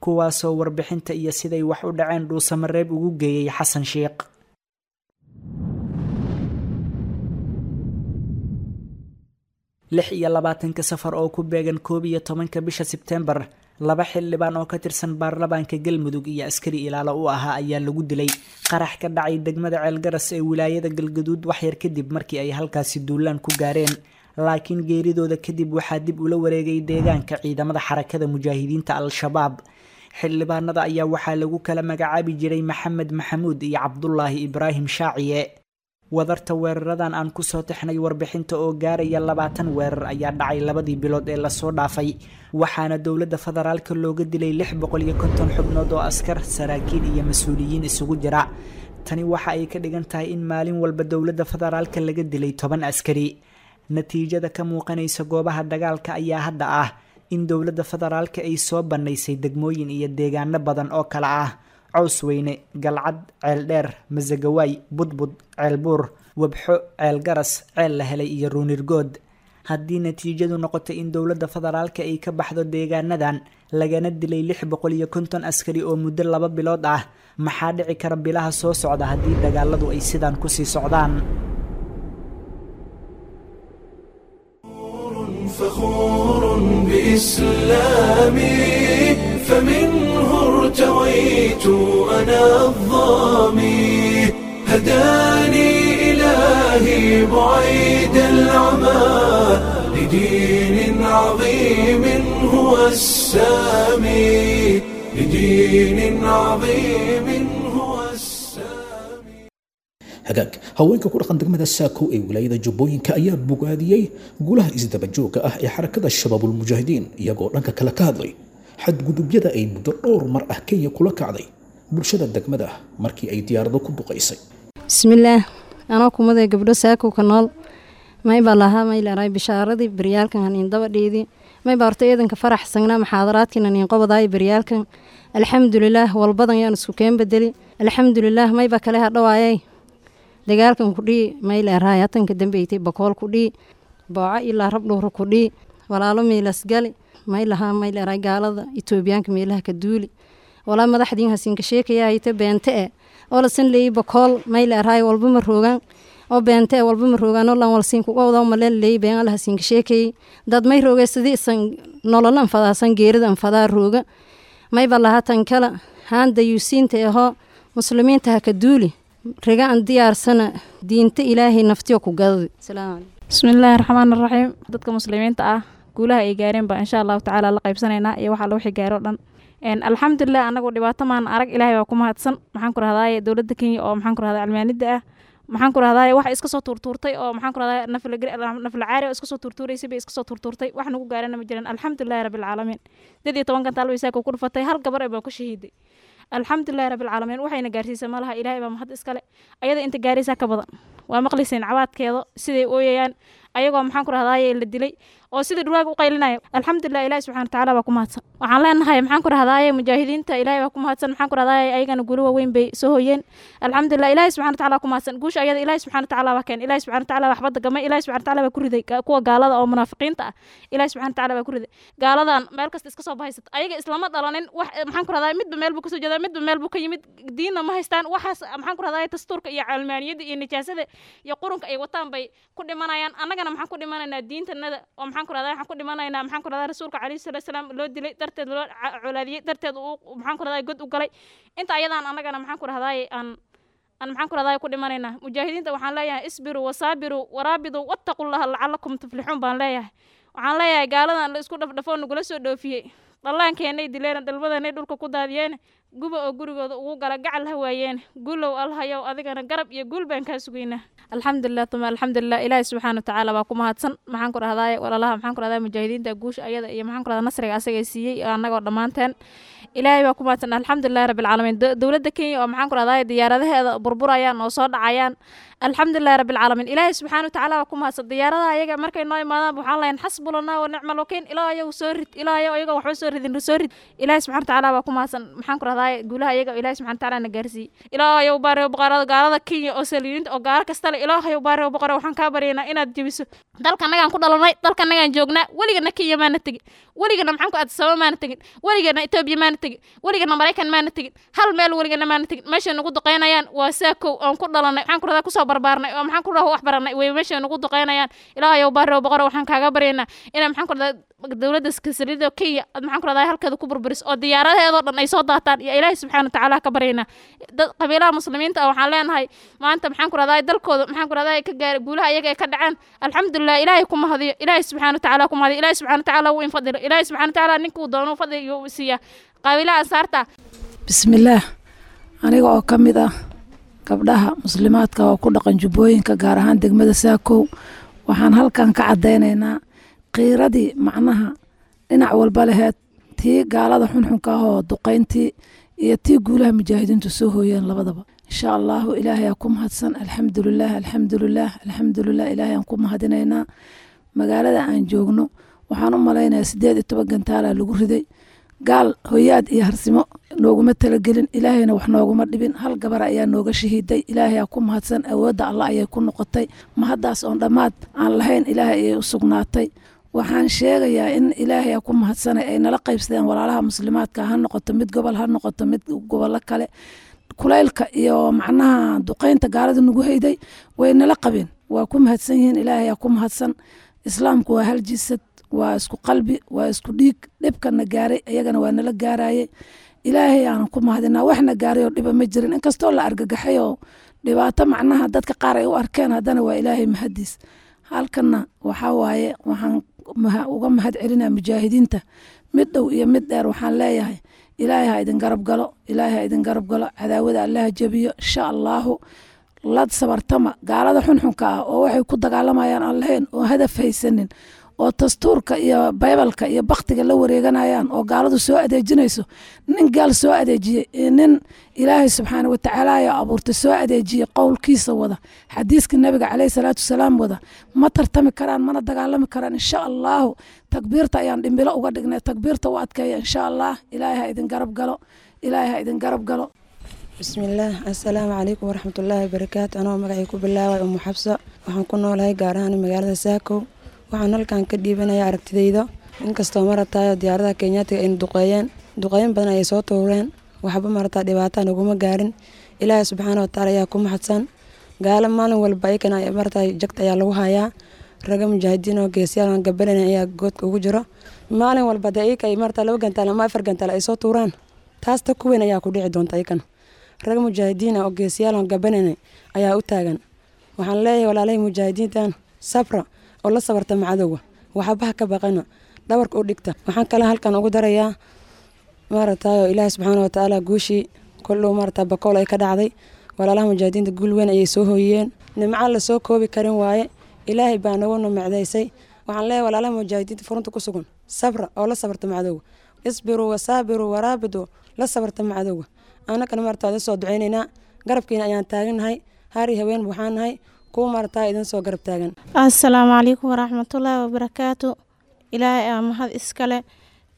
kuwaasoo warbixinta iyo siday wax u dhaceen Dhuusamareeb ugu geeyey Xasan Sheekh. 26-ka Safar oo ku beegan 11-ka bisha Sebtembar, 2 xildhibaan oo ka tirsan baarlamaanka Galmudug iyo askari ilaalo u ahaa ayaa lagu dilay qarax ka dhacay degmada Ceelgaras ee wilaayada Galgaduud waxyar kadib markii ay halkaasi duulaan ku gaareen. Laakiin geeridooda kadib waxaa dib ula wareegay deegaanka ciidamada Xarakada Mujaahidiinta Al-Shabaab. Xildhibaanada ayaa waxaa lagu kala magacaabi jiray Maxamed Maxamuud iyo Cabdulaahi Ibraahim Shaaciye. Wadarta weeraradan aan kusoo tixnay warbixinta oo gaaraya 20 weerar ayaa dhacay 2dii bilood ee lasoo dhaafay, waxaana dowladda federaalka looga dilay 650 xubnood oo askar, saraakiil iyo mas-uuliyiin isugu jira. Tani waxa ay ka dhigan tahay in maalin walba dowladda federaalka laga dilay 10 askari. Natiijada ka muuqanaysa goobaha dagaalka ayaa hadda ah in dowladda federaalka ay soo bannaysay degmooyin iyo deegaano badan oo kala ah Cawsweyne, Galcad, Ceeldheer, Masagawaay, Budbud, Ceelbuur, Wabxo, Ceelgaras, Ceel la helay iyo Ruunirgood. Haddii natiijadu noqoto in dowladda federaalka ay ka baxdo deegaanadan lagana dilay 650 askari oo muddo 2 bilood ah, maxaa dhici kara bilaha soo socda haddii dagaaladu ay sidaan kusii socdaan? فخور بإسلامي فمنه ارتويت أنا الظامي هداني إلهي بعيد العمى لدين عظيم هو السامي لدين عظيم هو السامي. Hagaag, haweenka ku dhaqan degmada Saako ee wilaayada Jubbooyinka ayaa bogaadiyey guulaha isdabajooga ah ee xarakada Shabaabulmujaahidiin, iyagoo dhanka kale ka hadlay xadgudubyada ay muddo dhowr mar ah Kenya kula kacday bulshada degmada markii ay diyaarado ku duqaysay. Bismillaah, anoo kumaday gabdho Saako ka nool, maybaa lahaa mayleray bishaaradii baryaalkan haniin daba dhiidi mayba horta eedanka faraxsanaa muxaadaraadkiina niin qobadaay baryaalkan. Alxamdulilaah, walbadan yaan isku keen bedeli. Alxamdulilaah, mayba kale hadhawaayay dagaalkan kudhii mayleerahay hatanka dambeytay Bakool kudhii Booco ilaa Rabdhowra kudhii walaalo miilasgali maylahaa mayleerahay gaalada Itoobiyaanka meelaha ka duuli walaa madaxdiin hasinka sheekayahayta beente e oo lasan leeyi Bakool mayleerahay walba ma roogaan oo beente e walba ma roogaan oo lan walsiin kuga wada maleen leeyi been alla hasinka sheekayay dad may roogay sidii isan nolol anfadaasan geerida anfadaa rooga mayba lahaa tan kala haan dayuusiinta ahoo muslimiinta ha ka duuli riga aan diyaarsana diinta Ilaahay naftiyo ku gadadi. Salaamu calaykum. Bismillaahi raxmaani raxiim. Dadka muslimiinta ah guulaha ay gaareen baa insha Allahu tacaala la qaybsanaynaa iyo waxa wixii gaaro dhan. Alxamdulilah, anagu dhibaato maan arag, Ilaahay baa ku mahadsan. Maxaan ku rahdaay dowladda Kenya oo maxaan ku rahdaa cilmaanida ah, maxaan ku rahdaay wax iska soo tuurtuurtay oo maxaan ku rahdaay nafla caari oo iska soo tuurtuuraysay bay iska soo tuurtuurtay, wax nagu gaarana ma jiran. Alxamdulilahi rabbil caalamiin. 18 gantaal bay Saako ku dhufatay, hal gabar baa ku shahiiday. Alxamdulilahi rabbil caalamiin, waxayna gaarsiisay malaha, Ilaahay baa mahad iskale. Ayada inta gaaraysaa ka badan waa maqlayseen cabaadkeeda siday ooyayaan ayagoo maxaan ku rahdaay la dilay oo sida dhuraaga u qaylinaya. Alxamdulilah, Ilaahi subxaana watacaala baa ku mahadsan. Waxaan leenahay maxaan ku rahdaay mujaahidiinta Ilaahay baa ku mahadsan. Maxaan ku rahdaay ayagana guulo waaweyn bay soo hoyeen. Alxamdulilah, Ilaahi subxaana watacaala ku mahadsan. Guusha ayada Ilaahi subxaana watacaala baa keen, Ilaahi subxaana watacaala waxba dagamay, Ilaahi subxaana watacaala baa ku riday kuwa gaalada oo munaafiqiinta ah. Ilaahi subxaana watacaala baa ku riday gaaladan meel kasta iska soo bahaysata. Ayaga islama dhalanin wax maxaan ku rahdaay midba meel buu kasoo jeedaa, midba meel buu ka yimid, diinna ma haystaan. Waxaas maxaan ku rahdaay dastuurka iyo calmaaniyadda iyo nijaasada iyo qurunka ay wataan bay ku dhimanayaan. Annagana maxaan ku dhimanaynaa diintanada oo maxaan ku rahdaa waxaan ku dhimanaynaa maxaan ku rahdaa rasuulka calayhi salaatu wasalaam loo dilay darteed, loo colaadiyey darteed, uu maxaan ku rahdaa god u galay inta ayadaan. Annagana maxaan ku rahdaay aan maxaan ku rahdaa ku dhimanaynaa. Mujaahidiinta waxaan leeyahay isbiruu wasaabiruu waraabiduu wattaqullaha lacalakum tuflixuun baan leeyahay. Waxaan leeyahay gaaladan la isku dhafdhafoo nagula soo dhoofiyey, dhallaankeenay dileen, dhalmadanay dhulka ku daadiyeen, guba oo gurigooda ugu gala gacal ha waayeen. Guulow Alhayow, adigana garab iyo guul baan kaa sugaynaa. Alxamdulilah tuma alxamdulilah, Ilaahi subxaana watacaala baa ku mahadsan. Maxaan ku rahdaay walaalaha maxaan ku rahdaay mujaahidiinta guusha ayada iyo maxaan ku rahdaa nasriga asaga siiyey annagoo dhammaanteen Ilaahay baa ku mahadsan. Alxamdulilahi rabbil caalamiin. Dowladda Kenya oo maxaan ku rahdaay diyaaradaheeda burburayaan oo soo dhacayaan, alxamdulilahi rabbil caalamiin, Ilaahay subxaana watacaala baa ku mahadsan. Diyaaradaha ayaga markay noo imaadaan waxaan lahayn xasbulanaa wa nicmal wakiil. Ilaahayow soo rid, Ilaahayow ayaga waxba soo ridin soo rid. Ilaahay subxaana watacaala baa ku mahadsan. Maxaan ku rahdaay guulaha ayaga Ilaahay subxaana watacaala na gaarsiiyey. Ilaahayow baariyo boqorada gaalada Kenya oo saliiniinta oo gaalo kasta le, Ilaahayow baariyo boqore, waxaan kaa baryaynaa inaad jebiso. Dalka annagaan ku dhalanay, dalka annagaan joognaa, weligana Kenya maana tegin, weligana maxaan ku Addis Ababa maana tegin, weligana Etoobiya maana tegin, weligana Maraykan maana tegin, hal meel weligana maana tegin. Meeshay nagu duqeynayaan waa Saakow oon ku dhalanay, maxaan ku rahdaa kusoo barbaarnay oo maxaan ku rahdaa wax baranay way meeshay nagu duqeynayaan. Ilaahayow baariyo boqore, waxaan kaaga baryaynaa inaa maxaan ku rahdaa dowladda saliida Kenya aad maxaan ku rahdaa halkeeda ku burburiso oo diyaaradaheedoo dhan ay soo daataan iyo Ilaahay subxaana watacaala ka baryaynaa. Dad qabiilaha muslimiinta ah waxaan leenahay maanta maxaan ku rahdaa dalkooda maxaan ku rahdaa ka gaara guulaha ayaga ay ka dhaceen. Alxamdulilah, Ilaahay ku mahadiyo, Ilaahay subxaana watacaala ku mahadiyo, Ilaahay subxaana watacaala wuu infadilo, Ilaahay subxaana watacaala ninkuu doono fadliga uu siiyaa qabiilaha ansaarta. Bismillaah, aniga oo ka mid ah gabdhaha muslimaadka oo ku dhaqan Jubbooyinka, gaar ahaan degmada Saakow, waxaan halkan ka caddaynaynaa qiiradii macnaha dhinac walba laheed, tii gaalada xunxunka ah oo duqayntii iyo tii guulaha mujaahidiintu soo hooyeen labadaba. Insha Allahu Ilaahay aa ku mahadsan. Alxamdulilah, alxamdulilah, alxamdulilah, Ilaahay aan ku mahadinaynaa. Magaalada aan joogno waxaan u malaynayaa 18 gantaalaa lagu riday. Gaal hoyaad iyo harsimo nooguma talagelin, Ilaahayna wax nooguma dhibin. Hal gabar ayaa nooga shahiiday. Ilaahay ku mahadsan, awoodda Allah ayay ku noqotay. Mahaddaas oon dhammaad aan lahayn Ilaahay ayay u sugnaatay. Waxaan sheegayaa in Ilaahay ku mahadsanay ay nala qaybsadeen walaalaha muslimaadka, ha noqoto mid gobol, ha noqoto mid gobollo kale. Kulaylka iyo macnaha duqeynta gaalada nagu hayday way nala qabeen, waa ku mahadsan yihiin. Ilaahay ku mahadsan. Islaamku waa hal jisad, waa isku qalbi, waa isku dhiig. Dhibkana gaaray iyagana waa nala gaarayay. Ilaahay aanan ku mahadinaa, waxna gaaray oo dhiba ma jirin. Inkastoo la argagaxay oo dhibaato macnaha dadka qaar ay u arkeen, haddana waa Ilaahay mahadiis. Halkanna waxaa waaye waxaan uga mahad celinaa mujaahidiinta mid dhow iyo mid dheer. Waxaan leeyahay Ilaahay ha idin garab galo, Ilaahay ha idin garab galo, cadaawada Allaha jebiyo insha Allahu. La sabartama gaalada xunxunka ah oo waxay ku dagaalamayaan aan lahayn, oo hadaf haysanin, oo dastuurka iyo baybalka iyo baktiga la wareeganayaan, oo gaaladu soo adeejinayso. Nin gaal soo adeejiyey iyo nin Ilaahay subxaana watacaala ayaa abuurtay soo adeejiyey, qowlkiisa wada, xadiiska Nabiga caleyhi salaatu wasalaam wada, ma tartami karaan mana dagaalami karaan insha Allahu. Takbiirta ayaan dhimbilo uga dhignay, takbiirta u adkeeya insha Allah. Ilaahay ha idin garab galo, Ilaahay ha idin garab galo. Bismillaah, assalaamu calaykum waraxmatullaahi wabarakaatu. Anoo magacay ku bilaabay Umu Xabsa, waxaan ku noolahay gaar ahaan magaalada Saakow. Waxaan halkan ka dhiibanayaa aragtidayda. Inkastoo maratayo diyaaradaha Kenyaatiga ayna duqeeyeen, duqeyn badan ayay soo tuureen, waxba marataa dhibaataa naguma gaarin. Ilaahay subxaana watacaala ayaa ku mahadsan. Gaalo maalin walba ayakana marataa jagta ayaa lagu hayaa. Raga mujaahidiin oo geesiyaal aan gabanaynin ayaa goodka ugu jiro maalin walba. Dee ayaka ay marataa 2 gantaal ama 4 gantaal ay soo tuuraan, taas ta ku weyn ayaa ku dhici doonta. Ayakana raga mujaahidiin ah oo geesiyaal aan gabanaynin ayaa u taagan. Waxaan leeyahay walaalahay mujaahidiintan, sabra oo la sabarta macadowga, waxbaha ka baqana, dhabarka u dhigta. Waxaan kale halkan ugu darayaa maaragtayo Ilaahi subxaana watacaala guushii koldhow maarata Bakool ay ka dhacday, walaalaha mujaahidiinta guul weyn ayay soo hooyiyeen. Nimca la soo koobi karin waaye, Ilaahay baa nagu nimcdaysay. Waxaan leeyahay walaalaha mujaahidiinta furunta ku sugan, sabra oo la sabarta macadowga, isbiruu wasaabiruu waraabiduu, la sabarta macadowga. Annagana maarata idin soo duceynaynaa, garabkiina ayaan taagannahay, hari haween waxaan nahay kuwa maarata idin soo garab taagan. Assalaamu calaykum waraxmatullaahi wabarakaatu. Ilaahay aa mahad iskale.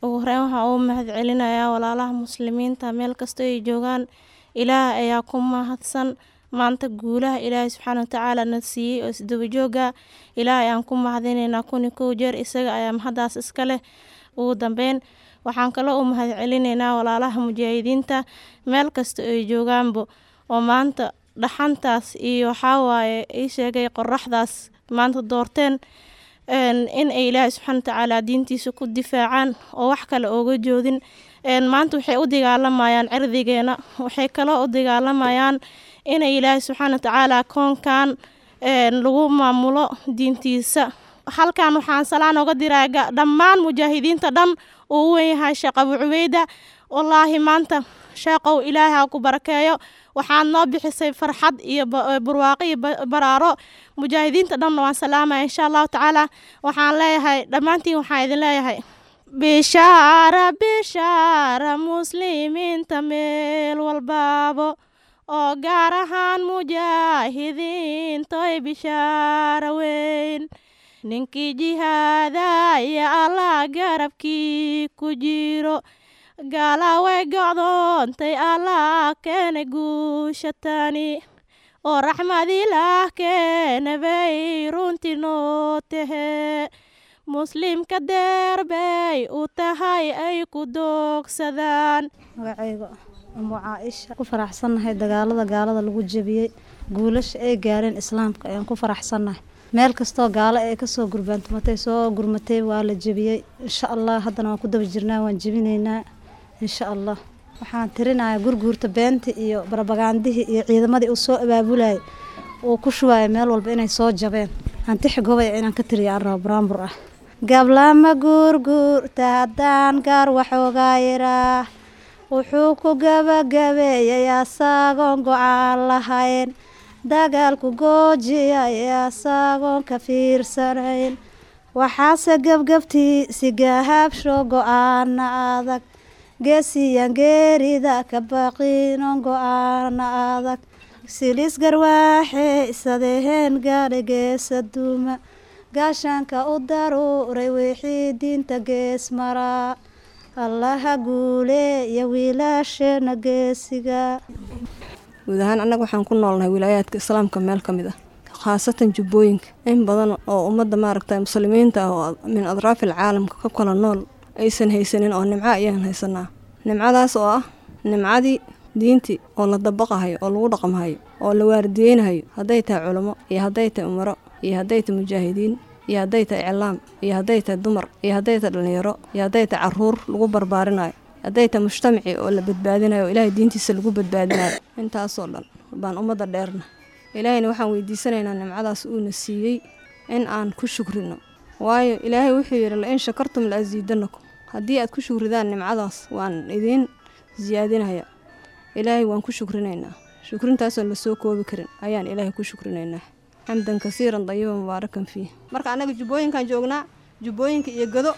Ugu horeyn waxaa ugu mahad celinayaa walaalaha muslimiinta meel kasta ay joogaan. Ilaahay ayaa ku mahadsan maanta guulaha Ilaahay subxaana watacaala na siiyey oo isdaba jooga. Ilaahay aan ku mahadinaynaa 1001 jeer, isaga ayaa mahadaas iska leh. Ugu dambeyn waxaan kaloo u mahad celinaynaa walaalaha mujaahidiinta meel kasta ay joogaanba, oo maanta dhaxantaas iyo waxaa waaye ii sheegay qoraxdaas maanta doorteen in ay Ilaahay subxaana watacaala diintiisa ku difaacaan oo wax kale ooga joodin. Maanta waxay u dagaalamayaan cirdigeena, waxay kaloo u dagaalamayaan inay Ilaahay subxaana watacaala koonkan lagu maamulo diintiisa. Halkan waxaan salaan oga diraa dhammaan mujaahidiinta dhan uu u weyn yahay Sheekh Abu Cubeyda. Wallaahi maanta sheeqow Ilaahay ha ku barakeeyo, waxaad noo bixisay farxad iyo barwaaqo iyo baraaro. Mujaahidiinta dhanna waan salaamaya insha Allahu tacaala. Waxaan leeyahay dhammaantiin, waxaan idin leeyahay bishaara, bishaara muslimiinta meel walbaabo, oo gaar ahaan mujaahidiintoy, bishaara weyn. Ninkii jihaadaya Allah garabkii ku jiro, gaala way gocdoontay, Allah keenay guusha tani, oo raxmad Ilaah keena bay runtii noo tahe. Muslimka deer bay u tahay ay ku doogsadaan. Magacayga Umu Caaisha. Ku faraxsannahay dagaalada gaalada lagu jebiyey, guulasha ay gaareen islaamka ayaan ku faraxsannahay. Meel kastoo gaalo ay kasoo gurbaantumatay, soo gurmatay, waa la jebiyey insha Allah. Haddana waan ku daba jirnaa, waan jebinaynaa insha Allah. Waxaan tirinayaa gurguurta beenta iyo barabagaandihii iyo ciidamadii uu soo abaabulayay uu ku shubaaya meel walba inay soo jabeen. Aan tixi gobay inaan ka tiriyo aan rabo buraanbur ah. Gablama guurguurta haddaan gaar waxoogaa yaraa, wuxuu ku gabagabeeyay asagoon go-aan lahayn, dagaalku goojiyay asagoon ka fiirsanayn. Waxaase gebgebtiisi gahabsho go-aana adag, geesiyan geerida ka baqinon go-aana adag, silis garwaaxe isadeheen gaadha geesa duuma, gaashaanka u daruuray wixii diinta gees maraa. Allaha guuleeya wiilasheena geesiga. Guud ahaan annaga waxaan ku noolnahay wilaayaadka islaamka meel ka mid ah, khaasatan Jubbooyinka. In badan oo ummadda maaragta muslimiinta ah oo min adraafil caalamka ka kala nool aysan haysanin oo nimco ayaan haysanaa. Nimcadaas oo ah nimcadii diintii oo la dabaqahayo oo lagu dhaqmahayo oo la waardiyeynahayo, hadday tahay culamo iyo hadday tahay umaro iyo hadday tahay mujaahidiin iyo hadday tahay iclaam iyo hadday tahay dumar iyo hadday tahay dhallinyaro iyo hadday tahay caruur lagu barbaarinayo, hadday tahay mujtamacii oo la badbaadinayo oo Ilaahay diintiisa lagu badbaadinayo. Intaasoo dhan baan ummadda dheerna. Ilaahayna waxaan weydiisanaynaa nimcadaas uuna siiyey in aan ku shukrino, waayo Ilaahay wuxuu yidhi: "La in shakartum la asiidanakum." Haddii aad ku shukridaan nimcadaas, waan idiin siyaadinaya. Ilaahay waan ku shukrinaynaa. Shukrintaasoo la soo koobi karin ayaan Ilaahay ku shukrinaynaa, xamdan kasiiran dayiban mubaarakan fiih. Marka annaga Jubbooyinkaan joognaa, Jubbooyinka iyo Gado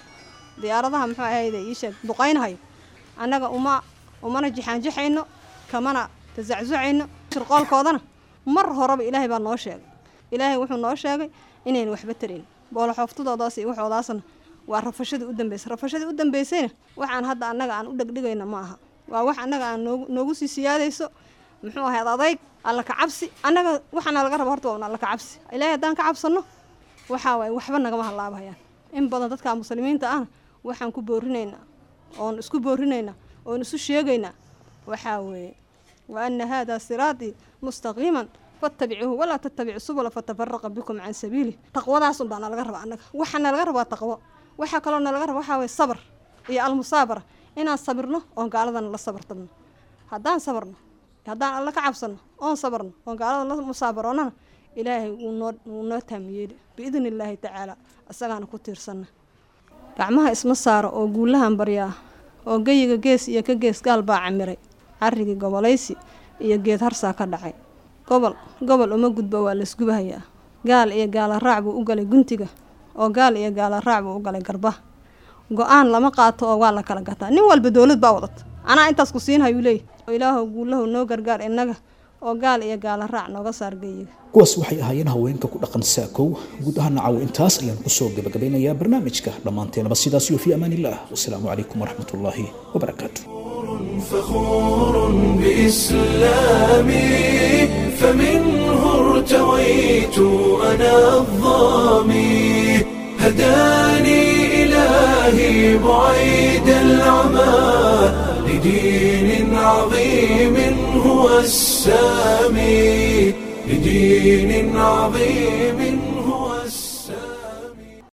diyaaradaha muxuu ahayde ii sheeg duqaynhayo, annaga uma umana jixaanjixayno, kamana tasacsucayno shirqoolkoodana. Mar horeba Ilaahay baa noo sheegay. Ilaahay wuxuu noo sheegay inaynu waxba tarayn booloxooftadoodaas iyo waxoodaasna. Waa rafashadii u dambeysay. Rafashadii u dambeysayna waxaan hadda annaga aan u dhegdhigayna ma aha, waa wax annaga aan noogu sii siyaadayso muxuu ahayd adayg alla ka cabsi. Annaga waxaana laga raba horta waa un alla ka cabsi. Ilaahay haddaan ka cabsanno, waxaa waaye waxba nagama halaabahayaan. In badan dadka muslimiinta ahna waxaan ku boorinaynaa oon isku boorinaynaa oon isu sheegaynaa waxaa weeye: "Wa ana haadaa siraatii mustaqiiman fattabicuuhu walaa tattabicu subula fatafaraqa bikum can sabiilih." Taqwadaas un baa nalaga rabaa annaga. Waxaa nalaga rabaa taqwo. Waxaa kaloo nalaga raba waxaa waye sabr iyo almusaabara, inaan sabirno oon gaaladana la sabartabno. Haddaan sabarno, haddaan alla ka cabsano oon sabarno oon gaalada la musaabaroonana, Ilaahay wuu noo taamiyeeli biidni Illaahi tacaala. Isagaana ku tiirsanna. Gacmaha isma saaro oo guulahan baryaa oo geyiga gees iyo ka gees gaal baa camiray carrigii gobolaysi iyo geed harsaa ka dhacay. Gobol gobol uma gudbo, waa laysgubahayaa. Gaal iyo gaala raac buu u galay guntiga oo gaal iyo gaala raac buu u galay garbaha. Go-aan lama qaato oo waa la kala gataa. Nin walba dowlad baa wadata, anaa intaas ku siinhayuu leeyahy. Ilaahow guulahu noo gargaar innaga oo gaal iyo gaala raac nooga saar geyiga. Kuwaas waxay ahaayeen haweenka ku dhaqan Saakow. Guud ahaan caawa intaas ayaan kusoo gabagabeynayaa barnaamijka. Dhammaanteenaba sidaas iyo fi amaan illah. Wasalaamu calaykum waraxmatullaahi wabarakaatu. فخور بإسلامي، فمنه ارتويت أنا الظامي، هداني إلهي بعيد العمى لدين عظيم هو السامي، لدين عظيم.